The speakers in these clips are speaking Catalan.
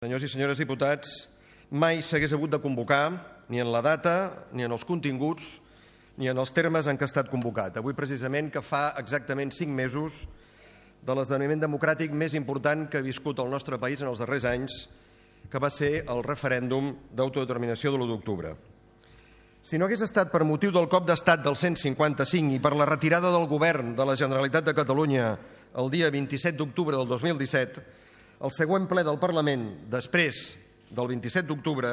Senyors i senyores diputats, mai s'hagués hagut de convocar, ni en la data, ni en els continguts, ni en els termes en què ha estat convocat. Avui, precisament, que fa exactament 5 mesos de l'esdeveniment democràtic més important que ha viscut el nostre país en els darrers anys, que va ser el referèndum d'autodeterminació de l'1 d'octubre. Si no hagués estat per motiu del cop d'estat del 155 i per la retirada del govern de la Generalitat de Catalunya el dia 27 d'octubre del 2017, el següent ple del Parlament, després del 27 d'octubre,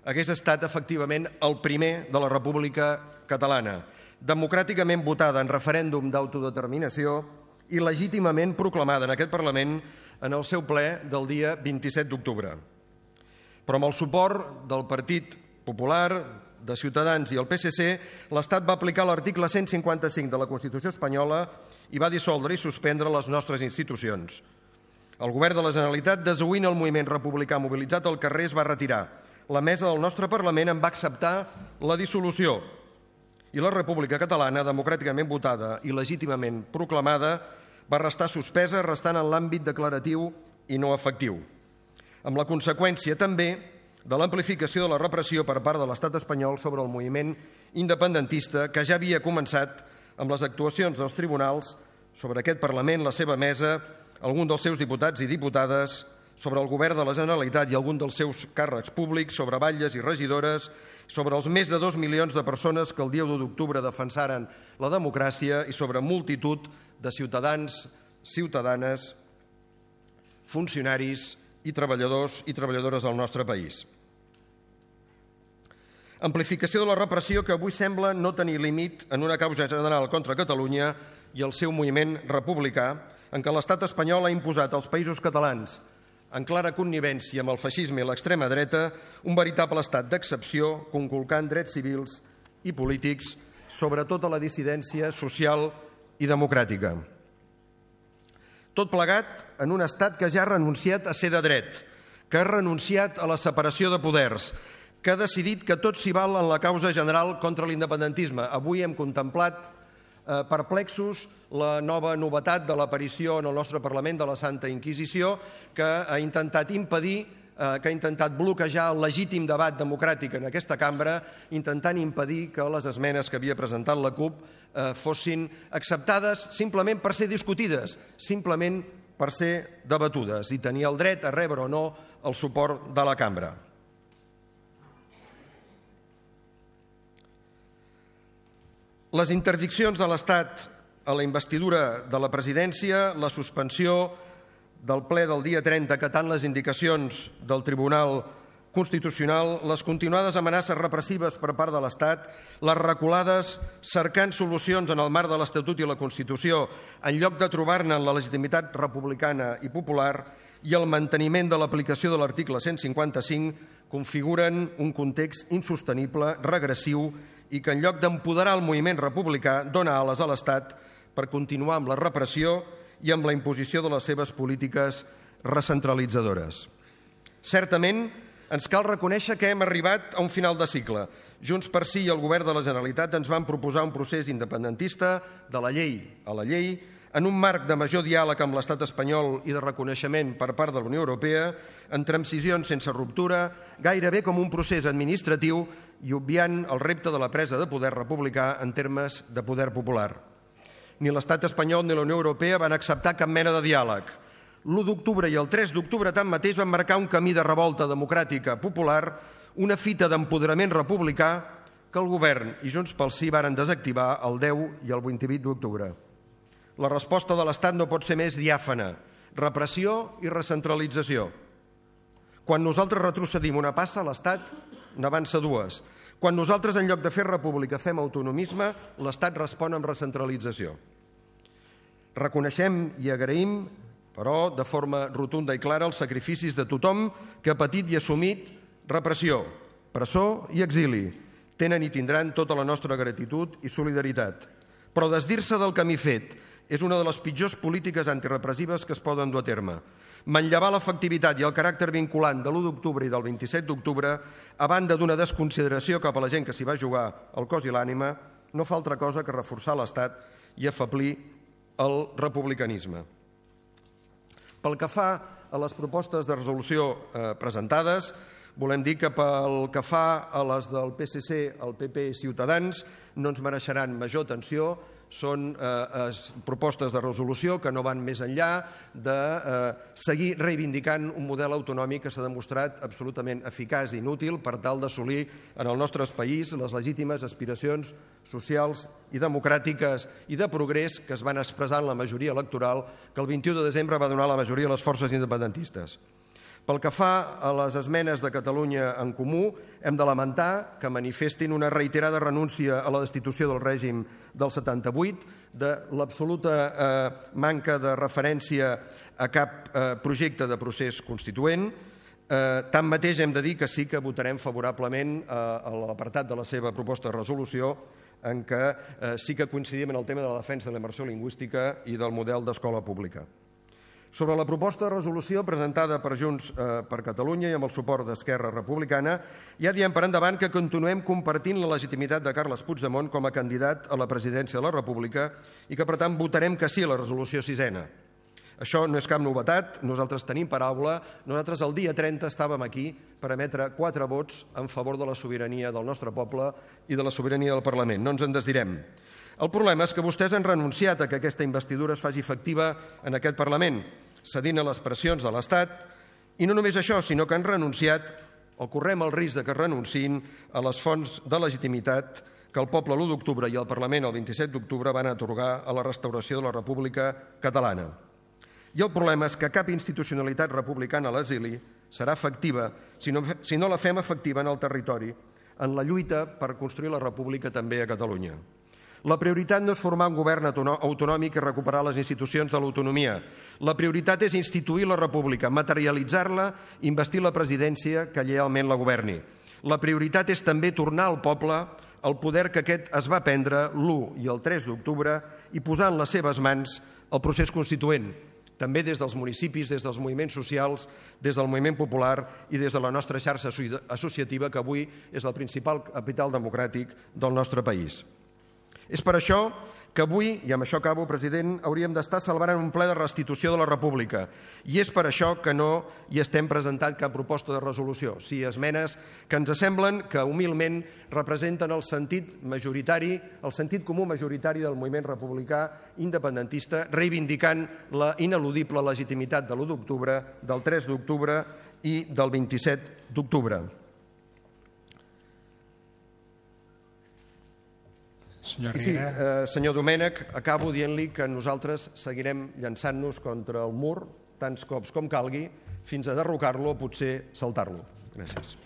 hagués estat efectivament el primer de la República Catalana, democràticament votada en referèndum d'autodeterminació i legítimament proclamada en aquest Parlament en el seu ple del dia 27 d'octubre. Però amb el suport del Partit Popular, de Ciutadans i el PSC, l'Estat va aplicar l'article 155 de la Constitució espanyola i va dissoldre i suspendre les nostres institucions. El govern de la Generalitat, desoint el moviment republicà mobilitzat al carrer, es va retirar. La mesa del nostre Parlament en va acceptar la dissolució i la República Catalana, democràticament votada i legítimament proclamada, va restar suspesa, restant en l'àmbit declaratiu i no efectiu, amb la conseqüència també de l'amplificació de la repressió per part de l'Estat espanyol sobre el moviment independentista que ja havia començat amb les actuacions dels tribunals sobre aquest Parlament, la seva mesa, algun dels seus diputats i diputades, sobre el govern de la Generalitat i algun dels seus càrrecs públics, sobre batlles i regidores, sobre els més de 2 milions de persones que el dia 1 d'octubre defensaren la democràcia i sobre multitud de ciutadans, ciutadanes, funcionaris i treballadors i treballadores del nostre país. Amplificació de la repressió que avui sembla no tenir límit en una causa general contra Catalunya i el seu moviment republicà, en què l'estat espanyol ha imposat als països catalans, en clara connivència amb el feixisme i l'extrema dreta, un veritable estat d'excepció, conculcant drets civils i polítics sobre tota la dissidència social i democràtica. Tot plegat en un estat que ja ha renunciat a ser de dret, que ha renunciat a la separació de poders, que ha decidit que tot s'hi val en la causa general contra l'independentisme. Avui hem contemplat perplexos la nova novetat de l'aparició en el nostre Parlament de la Santa Inquisició, que ha intentat impedir, que ha intentat bloquejar el legítim debat democràtic en aquesta cambra, intentant impedir que les esmenes que havia presentat la CUP fossin acceptades simplement per ser discutides, simplement per ser debatudes i tenir el dret a rebre o no el suport de la cambra. Les interdiccions de l'Estat a la investidura de la presidència, la suspensió del ple del dia 30 acatant les indicacions del Tribunal Constitucional, les continuades amenaces repressives per part de l'Estat, les reculades cercant solucions en el marc de l'Estatut i la Constitució en lloc de trobar-ne en la legitimitat republicana i popular i el manteniment de l'aplicació de l'article 155 configuren un context insostenible, regressiu i que en lloc d'empoderar el moviment republicà dona ales a l'Estat per continuar amb la repressió i amb la imposició de les seves polítiques recentralitzadores. Certament, ens cal reconèixer que hem arribat a un final de cicle. Junts per Sí i el govern de la Generalitat ens van proposar un procés independentista de la llei a la llei, en un marc de major diàleg amb l'estat espanyol i de reconeixement per part de la Unió Europea, en transicions sense ruptura, gairebé com un procés administratiu i obviant el repte de la presa de poder republicà en termes de poder popular. Ni l'estat espanyol ni la Unió Europea van acceptar cap mena de diàleg. L'1 d'octubre i el 3 d'octubre tanmateix van marcar un camí de revolta democràtica popular, una fita d'empoderament republicà que el govern i Junts pel Sí varen desactivar el 10 i el 28 d'octubre. La resposta de l'Estat no pot ser més diàfana, repressió i recentralització. Quan nosaltres retrocedim una passa, l'Estat n'avança dues. Quan nosaltres, en lloc de fer república, fem autonomisme, l'Estat respon amb recentralització. Reconeixem i agraïm, però, de forma rotunda i clara, els sacrificis de tothom que ha patit i assumit repressió, presó i exili. Tenen i tindran tota la nostra gratitud i solidaritat. Però desdir-se del camí fet és una de les pitjors polítiques antirepressives que es poden dur a terme. Manllevar l'efectivitat i el caràcter vinculant de l'1 d'octubre i del 27 d'octubre, a banda d'una desconsideració cap a la gent que s'hi va jugar el cos i l'ànima, no fa altra cosa que reforçar l'Estat i afeblir el republicanisme. Pel que fa a les propostes de resolució presentades, volem dir que pel que fa a les del PSC, el PP i Ciutadans no ens mereixeran major atenció. Són propostes de resolució que no van més enllà de seguir reivindicant un model autonòmic que s'ha demostrat absolutament eficaç i inútil per tal d'assolir en el nostre país les legítimes aspiracions socials i democràtiques i de progrés que es van expressar en la majoria electoral que el 21 de desembre va donar la majoria a les forces independentistes. Pel que fa a les esmenes de Catalunya en Comú, hem de lamentar que manifestin una reiterada renúncia a la destitució del règim del 78, de l'absoluta manca de referència a cap projecte de procés constituent. Tanmateix hem de dir que sí que votarem favorablement a l'apartat de la seva proposta de resolució en què sí que coincidim en el tema de la defensa de la immersió lingüística i del model d'escola pública. Sobre la proposta de resolució presentada per Junts per Catalunya i amb el suport d'Esquerra Republicana, ja diem per endavant que continuem compartint la legitimitat de Carles Puigdemont com a candidat a la presidència de la República i que, per tant, votarem que sí a la resolució 6ena. Això no és cap novetat, nosaltres tenim paraula, nosaltres el dia 30 estàvem aquí per emetre 4 vots en favor de la sobirania del nostre poble i de la sobirania del Parlament, no ens en desdirem. El problema és que vostès han renunciat a que aquesta investidura es faci efectiva en aquest Parlament, cedint a les pressions de l'Estat, i no només això, sinó que han renunciat, o correm el risc de que renunciïn, a les fonts de legitimitat que el poble l'1 d'octubre i el Parlament el 27 d'octubre van atorgar a la restauració de la República Catalana. I el problema és que cap institucionalitat republicana a l'exili serà efectiva si no la fem efectiva en el territori, en la lluita per construir la República també a Catalunya. La prioritat no és formar un govern autonòmic i recuperar les institucions de l'autonomia. La prioritat és instituir la República, materialitzar-la i investir la presidència que lleialment la governi. La prioritat és també tornar al poble el poder que aquest es va prendre l'1 i el 3 d'octubre i posar en les seves mans el procés constituent, també des dels municipis, des dels moviments socials, des del moviment popular i des de la nostra xarxa associativa, que avui és el principal capital democràtic del nostre país. És per això que avui, i amb això acabo, president, hauríem d'estar celebrant un ple de restitució de la República. I és per això que no hi estem presentant cap proposta de resolució, sí esmenes que ens semblen que humilment representen el sentit majoritari, el sentit comú majoritari del moviment republicà independentista, reivindicant la ineludible legitimitat de l'1 d'octubre, del 3 d'octubre i del 27 d'octubre. I sí, senyor Domènech, acabo dient-li que nosaltres seguirem llançant-nos contra el mur tants cops com calgui fins a derrocar-lo o potser saltar-lo. Gràcies.